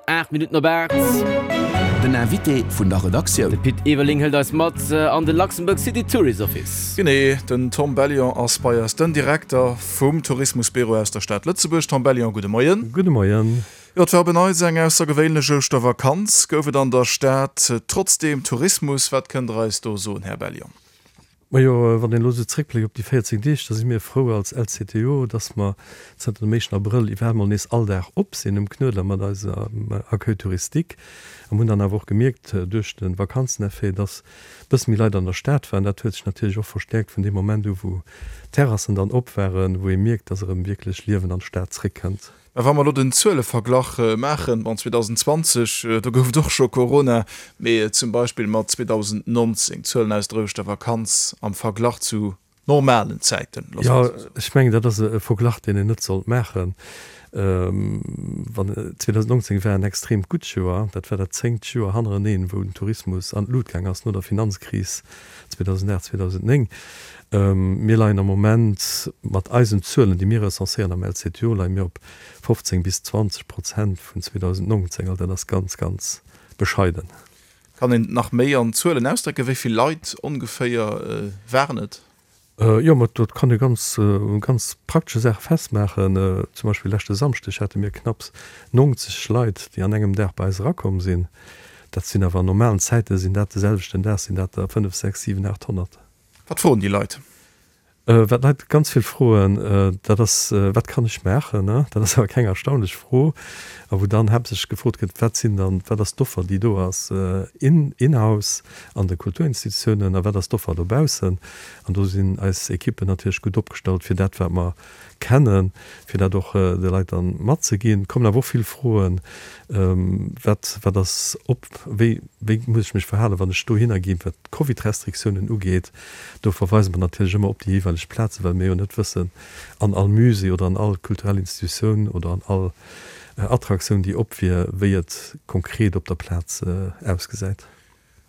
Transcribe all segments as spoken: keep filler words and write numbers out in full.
Aacht Minutten op aacht. Den Invité vun der Redaktioun. De Pit Everling hëlt eis mat an de Luxembourg City Tourist Office. Genee, den Tom Bellion ass bei eis, den Direkter vum Tourismusbüro aus der Stad Lëtzebuerg. Tom Bellion, gudde Moien. Gudde Moien. Jo, et war op en Neits eng aussergewéinlech Ouschtervakanz. Gouf et an der Stad trotzdeem Tourismus? Wat kënnt Der eis do soen, Här Bellion? Majo, wann een elo esou zréckbléckt op déi véierzéng Deeg, da si mir frou als L C T O, dass mer zënter dem éischten Abrëll iwwerhaapt mol nees all Dag op sinn um Knuedler mat eisem Accueil touristique. A mir hunn dann awer och gemierkt duerch de Vakanzeneffet, dass e bësse méi Leit an der Stad waren. Dat huet sech natierlech och verstäerkt vun deem Moment u wou d'Terrassen dann op waren, wou ee mierkt, dass erëm wierklech Liewen an d'Stad zréckkënnt. Mä wa mer elo den Zueleverglach maachen, bon, zweedausendenzwanzeg, do gouf et och scho Corona, mee zum Beispill mat zweedausendnonzéng, d'Zuelen aus der Ouschtervakanz am Verglach zu normalen Zäiten, loosse mer Jo, et esou soen. Ech mengen, dat ass e Verglach, deen een net sollt maachen. Wann zweedausendnonzéng war en extreemt gutt Joer, dat war dat zéngt Joer hannereneen, wou den Tourismus an d'Lut gaang ass no der Finanzkris zweedausendacht, zweedausenddnéng. Mir leien am Moment mat eisen Zuelen, déi mir recenséieren am L C T O, leie mir op fofzéng bis zwanzeg Prozent vun zweedausendnonzéng. Also dat ass ganz, ganz bescheiden. Kann een et nach méi an Zuelen ausdrécken? Wéi vill Leit ongeféier waren et? Jo, ma dat kann ee ganz u ganz praktesche Saache festmaachen. Zum Beispill leschte Samschdeg hate mir knapps nonzeg Leit, déi an engem Dag bei eis erakomm sinn. Dat sinn awer an normalen Zäite sinn dat de selwechten Dag sinn dat der fënnef, sechs, siwen, aacht honnert. Wat froen déi Leit? Wat d'Leit ganz vill froen, dat ass, Wat kann ech maachen? Dat ass awer keng erstaunlech Fro. A wou dann haaptsächlech gefrot gëtt, Wat sinn dann, wat ass d'Offer, déi do ass in, in-house an de Kulturinstitutiounen a wat ass d'Offer dobaussen? An do sinn eis Ekippen natierlech gutt opgestallt, fir dat, wat mer kennen, fir dat och de Leit dann matzeginn. Et kommen awer och vill Froen, Wat, wat ass op, wéi, wéi muss ech mech verhalen, wann ech dohinner ginn, wat d'Covid-Restriktiounen ugeet? Do verweise mer natierlech ëmmer op déi jeeweileg Plazen, well mir jo net wëssen, an all Musée oder an all kulturell Institutioun oder an all Attraktioun, déi op wier, wéi et konkret op der Plaz ausgesäit.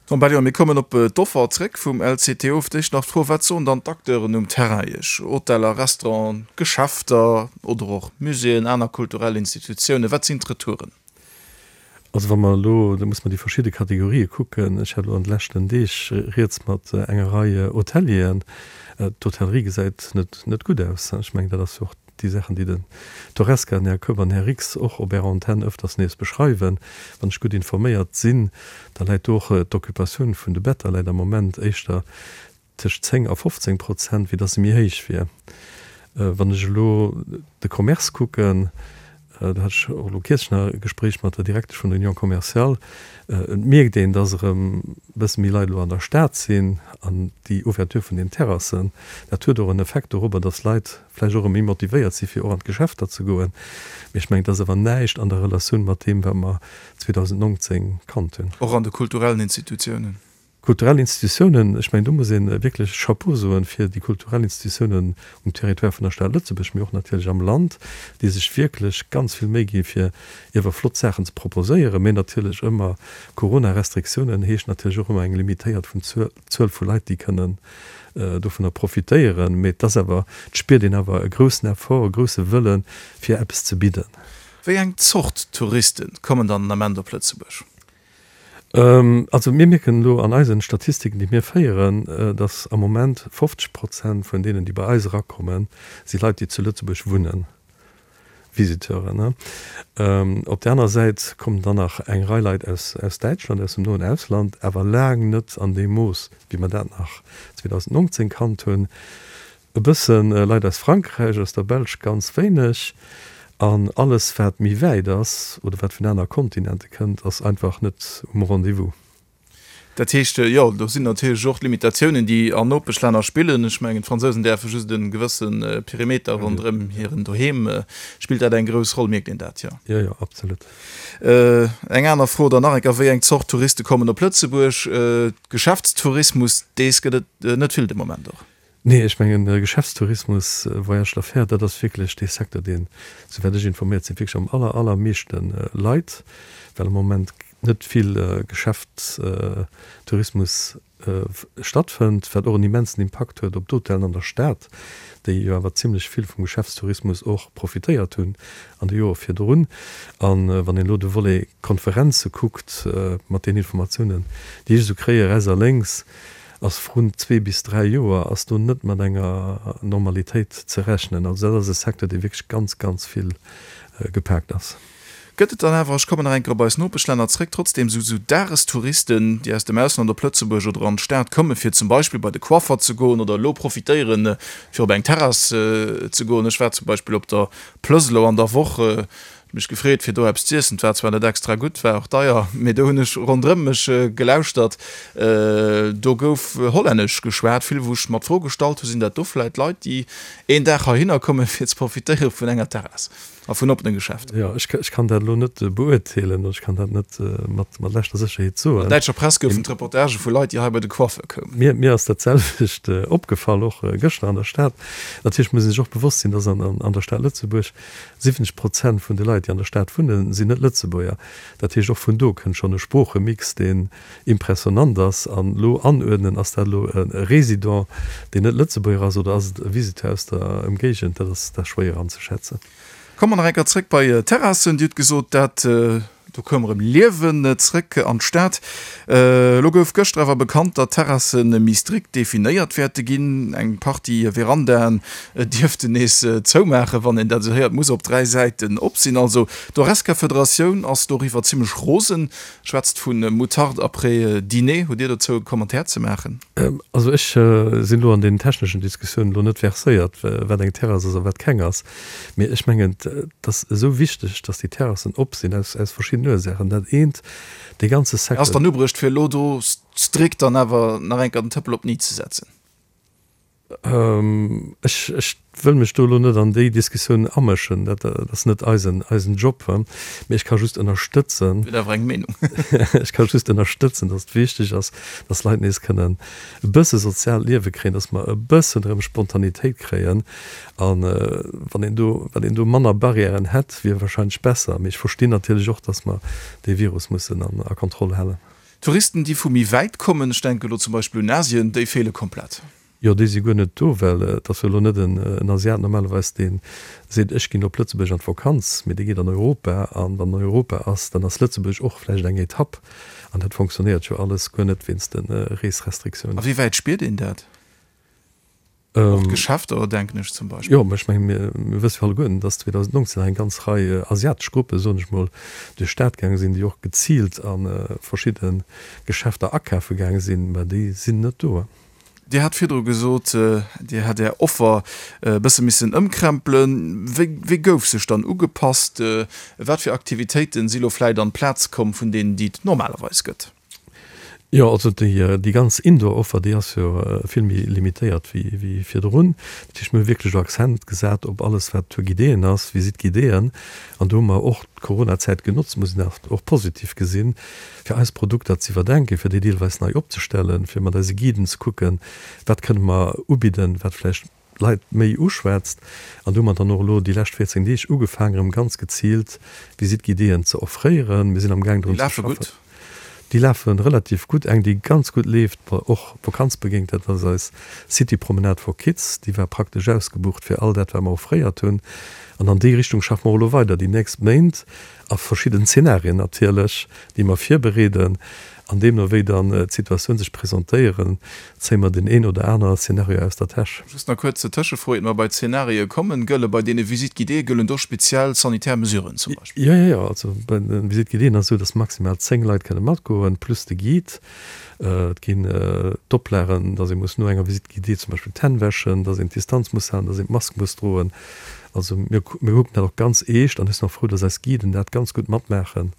Tom Bellion, mir kommen op d'Offer zréck vum L C T O. Fir d'éischt nach d'Fro, Wat soen dann d'Acteuren um Terrain Iech, Hoteller, Restauranten, Geschäfter oder och Muséeën, aner kulturell Institutiounen? Wat sinn d'Retouren? Also wa mer elo, da muss mer déi verschidde Kategorië kucken. Ech hat elo an de leschten Deeg Rieds mat enger Rei Hotelieren. D'Hotellerie gesäit net net gutt aus. Ech mengen, dat ass jo och déi Saachen, déi den d'Horesca, den Här Keup an den Här Rix och op Ärer Antenn ëfters nees beschreiwen. Wann ech gutt informéiert sinn, da läit do och d'Occupatioun vun de Better läit am Moment éischter tëscht zéng a fofzéng Prozent, wéi datt se méi héich wier. Wann ech elo de Commerce kucken, do hat ech och elo kierzlech nach e Gespréich mat der Direktesch vun der Union commerciale, et mierkt een, datt erëm e bësse méi Leit elo an der Stad sinn an déi Ouverture vun den Terrassen, dat huet och en Effekt dorobber, datt Leit vläicht och erëm méi motivéiert si fir och an d'Geschäfter ze goen. Mee ech mengen, et ass awer näischt an der Relatioun mat deem, wat mer zweedausendnongzéng kannt hunn. Och an de kulturellen Institutiounen? Kulturell Institutiounen, ech mengen, do muss ee wierklech Chapeau soen fir déi kulturell Institutiounen um Territoire vun der Stad Lëtzebuerg, mee och natierlech am Land, déi sech wierklech ganz vill Méi gi fir iewer flott Saachen ze proposéieren. Mee natierlech ëmmer Corona-Restriktiounen heescht natierlech och ëmmer eng limitéiert vun Zuel vu Leit, déi kënnen dovunner profitéieren. Mee et ass awer, et spiert een awer e groussen Effort, e grousse Wëllen, fir eppes ze bidden. Wéi eng Zort Touriste kommen dann den Ament op Lëtzebuerg? Also mir mierken elo an eisen Statistiken, déi mir féieren, datt am Moment fofzeg Prozent vun deenen, déi bei eis erakommen, si Leit, déi zu Lëtzebuerg wunnen, Visiteuren. Op där aner Säit kommen dann nach eng Rei Leit aus aus Däitschland, aus dem noen Ausland, awer laang net an deem Mooss, wéi mer dat nach zweedausendnongzéng kannt hunn. E bësse Leit aus Frankräich, aus der Belsch ganz wéineg. An alles wat méi wäit ass oder wat vun aner Kontinente kënnt, ass einfach net um Rendez-vous. Dat heescht, jo, do sinn natierlech och d'Limitatiounen, déi an Nopeschlänner spillen. Ech mengen, d'Fransousen däerfe just e gewësse Perimeter ronderëm hiren Doheem. Spillt dat eng grouss Roll? Mierkt een dat? Jo. Jo, jo, absolut. Eng aner Fro dann nach eng Kéier, Wéi eng Zort Touriste kommen op Lëtzebuerg? Geschäftstourismus, dees gëtt et net vill de Moment och. Nee, ech mengen, Geschäftstourismus, Voyage d'affaires, dat ass wierklech dee Secteur, deen, souwäit ech informéiert sinn, wierklech am aller, allermeeschte leit, well am Moment net vill Geschäftstourismus stattfënnt, wat och en immensen Impakt huet op d'Hotellen an der Stad, déi jo awer zimlech vill vum Geschäftstourismus och profitéiert hunn an de Jore virdrun. A wann een elo de Volet Konferenze kuckt, mat den Informatiounen, déi ech esou kréie rechts a lénks, ass vrun zwee bis dräi Joer ass do net mat enger Normalitéit ze rechnen. Also dat ass e Secteur, dee wierklech ganz, ganz vill gepaakt ass. Gëtt et dann awer, ech kommen nach eng Kéier op eis Nopeschlänner zréck, trotzdem esou esou Dagestouristen, déi aus dem Ausland op Lëtzebuerg oder an d'Stad kommen, fir zum Beispill bei de Coiffer ze goen oder elo profitéieren, fir op eng Terrass ze goen? Ech war zum Beispill op der Plëss elo an der Woch, huet mech gefreet, fir do eppes z'iessen. Et war zwar net extra gutt, war och deier, mee do hunn ech ronderëm mech gelauschtert, do gouf Hollännesch geschwat, vill wou ech mer d'Fro gestallt hu, sinn dat do vläit Leit, déi een Dag heihinner kommen, fir ze profitéiere vun enger Terrass? A vun oppene Geschäfter. Jo, ech kann dat elo net beurteelen, ech kann dat net mat leschter Sécherheet soen. An der däitscher Press goufen et Reportagë vu Leit, déi hei bei de Coiffeur koumen. Mir ass dat selwecht opgefall, och gëschter an der Stad. Natierlech muss ee sech och bewosst sinn, dass an der Stad Lëtzebuerg siwwenzeg Prozent vun de Leit, déi an der Stad wunnen, sinn net Lëtzebuerger. Dat heescht, och vun do kënnt schonn e Sproochemix, deen impressionnant ass. An elo anuerdnen, ass dat elo e Résident, deen net Lëtzebuerger ass, oder ass et e Visiteur aus der Ëmgéigend, dat ass da schwéier anzeschätzen. Komme mer nach eng Kéier zréck bei d'Terrassen. Dir hutt gesot, dat do koum erëm Liewen zréck an d'Stad. Elo gouf gëschter awer bekannt, datt d'Terrasse méi strikt definéiert wäerte ginn. Eng Partie Verandaen dierften nees zoumaachen, wann een dat esou héiert, muss op dräi Säiten op sinn. Also d'Horesca-Federatioun ass doriwwer zimmlech rosen, schwätzt vu Moutarde après dîner. Hutt Dir dozou e Commentaire ze maachen? Also ech sinn elo an deenen techneschen Diskussiounen elo net verséiert, wat eng Terrass ass a wat keng ass. Mee ech mengen, et ass esou wichteg, datt déi Terrassen op sinn, aus verschiddenen Ursaachen. Dat eent, dee ganze Secteur. Ass dann ubruecht, fir elo do strikt dann awer nach eng Kéier den Tëppel op d'Ni ze setzen? Ech, ech wëll mech do elo net an déi Diskussioun amëschen, dat ass net eisen, eisen Job. Mee ech ka just ënnerstëtzen. Huet awer eng Meenung. Ech ka just ënnerstëtzen, datt et wichteg ass, datt d'Leit nees kënnen e bësse soziaalt Liewe kréien, datt mer e bëssen erëm Spontanitéit kréien. A wann een do, wann een do manner Barrièren hätt, wier wahrscheinlech besser. Mee ech verstinn natierlech och, datt mer dee Virus mussen a Kontroll halen. Touristen, déi vu méi wäit kommen, ech denke elo zum Beispill un Asien, déi feele komplett. Jo, déi si guer net do, well et ass jo elo net en Asiat normalerweis, dee seet, ech ginn op Lëtzebuerg an d'Vakanz, mee dee geet an Europa. An wann en Europa ass, dann ass Lëtzebuerg och vläicht eng Etapp. An dat fonctionnéiert jo alles guer net wéinst de Reesrestriktiounen. A wéi wäit spiert een dat? Och d'Geschäfter, denken ech zum Beispill. Jo, mä ech mengen, mir wësse jo alleguerten, dass zweedausendnonzéng nach eng ganz Rei asiatesch Gruppen, soen ech mol, duerch d'Stad gaange sinn, déi och geziilt a verschidde Geschäfter akafe gaange sinn. Mä déi sinn net do. Dir hat virdru gesot, Dir hätt Är Offer e bësse missen ëmkrempelen. Wéi, wéi gouf sech dann ugepasst? Wat fir Aktivitéiten si lo vläit an d'Plaz komm vun deenen, déi et normalerweis gëtt? Jo, also déi, déi ganz Indoor-Offer, déi ass jo vill méi limitéiert wéi, wéi virdrun. Dat heescht, mir hu wierklech elo Accent gesat op alles, wat Tour guidéen ass, Visite guidéen. An do hu mer och d'Coronazäit genotzt, muss een awer och positiv gesinn, fir eis Produkter ze iwwerdenken, fir déi deelweis nei opzestellen, fir mat eise Guiden ze kucken, wat kënne mer ubidden, wat vläicht d'Leit méi uschwätzt. An do hu mer dann och elo déi lescht véierzéng Deeg ugefaangen, erëm ganz geziilt Visite guidéeën ze offréieren. Mir sinn amgaang Déi drun ze lafe schaffen. gutt? Déi lafe relativ gutt. Eng, déi ganz gutt leeft, och vakanzbedéngt, dat ass eis City Promenade for Kids. Déi war praktesch ausgebucht fir all dat, wat mer offréiert hunn. An an déi Richtung schaffe mer och elo weider déi nächst Méint a verschidden Zenarien natierlech, déi mer virbereeden. An deemno wéi dann d'Situatioun sech presentéieren, zéie mer deen een oder aner Szenario aus der Täsch. Just nach kuerz Tëschefro, iert mer bei d'Zenarie kommen, Gëlle bei deene Visite guidéeë gëllen do speziell sanitär Mesuren zum Beispill? Jo, jo, jo. Also bei de Visite guidéeën ass esou, dass maximal zéng Leit kënne matgoen, plus de Guide. Et ginn d'Oplagen, dass ee muss no enger Visite guidée zum Beispill d'Hänn wäschen, dass een d'Distanz muss halen, dass een d'Mask muss droen. Also mir kucken dat och ganz eescht an ech sinn och frou, dass eis Guiden dat ganz gutt matmaachen,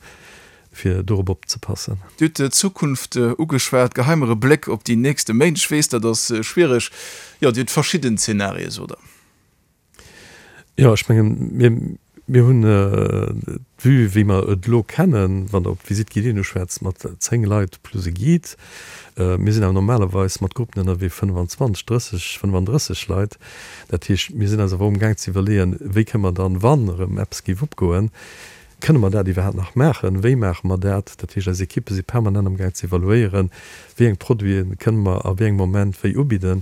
fir dorop opzepassen. Dir hutt d'Zukunft ugeschwat, geheie mer e Bléck op déi nächste Méint. Ech weess, dat ass schwiereg. Jo, Dir hutt verschidden Zenarie, sot Der. Jo, ech mengen, mir, mir hunn d'Vue, wéi mer et elo kennen, wann Der op d'Visite guidée uschwätzt, mat zéng Leit plus e Guide. Mir sinn awer normalerweis mat Gruppen ënnerwee, fënnefanzwanzeg, drësseg, fënnefandrësseg Leit. Dat heescht, mir sinn eis awer och amgaang ze iwwerleeën, wéi kënne mer dann, wann erëm eppes géif opgoen, Kënne mer dat iwwerhaapt nach maachen? Wéi maache mer dat? Dat heescht, eis Ekippe si permanent amgaang ze evaluéieren, wéi eng Produite kënne mer a wéi engem Moment wéi ubidden.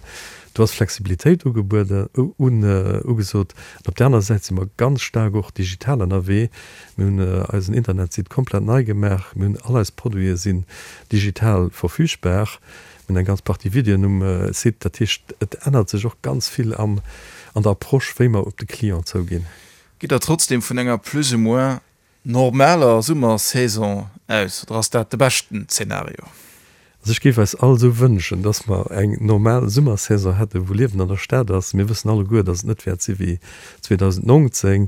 Do ass Flexibilitéit ugebueden, ugesot. An op där anerer Säit si mer ganz staark och digital ënnerwee. Mir hunn eisen Internetsite komplett nei gemaach. Mir hunn all eis Produite sinn digital verfügbar. Mir hunn eng ganz Partie Videoen um Site. Dat heescht, et ännert sech och ganz vill am, an der Approche, wéi mer op de Client zouginn. Gitt Der trotzdem vun enger plus ou moins normaler Summersaison aus oder ass dat de beschten Zeenario? Also ech géif eis all esou wënschen, dass mer eng normal Summersaison hätten, wou Liewen an der Stad ass. Mir wëssen alleguer, dass et net wäert si wéi zweedausendnonzéng,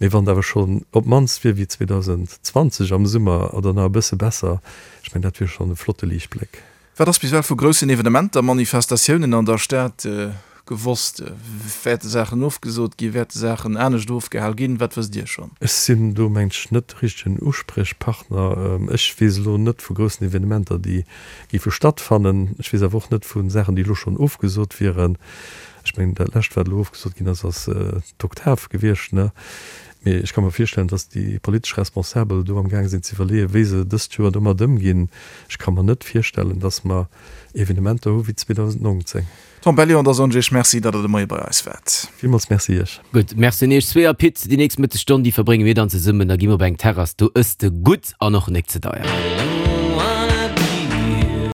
mee wann et awer schonn op d'mannst wier wéi zweedausendzwanzeg am Summer oder nach e bësse besser, ech mengen, dat wier schonn e flotte Liichtbléck. Wat ass bis ewell vu groussen Evenementer, Manifestatiounen an der Stad gewosst? Wäerte Saachen ofgesot ginn? Wäerte Saachen anescht ofgehal ginn? Wat wësst Dir schonn? Ech sinn do, mengt ech, net de richtegen Uspriechpartner. Ech weess elo net vu groussen Evenementer, déi géife stattfannen. Ech weess awer och net vu Saachen, déi elo schonn ofgesot wieren. Ech mengen, dat lescht, wat elo ofgesot ginn ass, ass d'Oktav gewiescht, ne? Mee ech ka mer virstellen, datt déi politesch Responsabel do amgaang sinn ze iwwerleeën, wéi se dëst Joer domat ëmginn. Ech ka mer net virstellen, datt mer Evenementer hu wéi zweedausendnonzéng. Tom Bellion, da soen ech Iech Merci, datt Der de Moie bei eis waart. Villmools Merci Iech. Gutt, Merci un Iech zwee. A Pit, déi nächst Mëttesstonn, déi verbrénge mir dann zesummen. Da gi mer op eng Terrass, do ëss de gutt an och nek ze deier.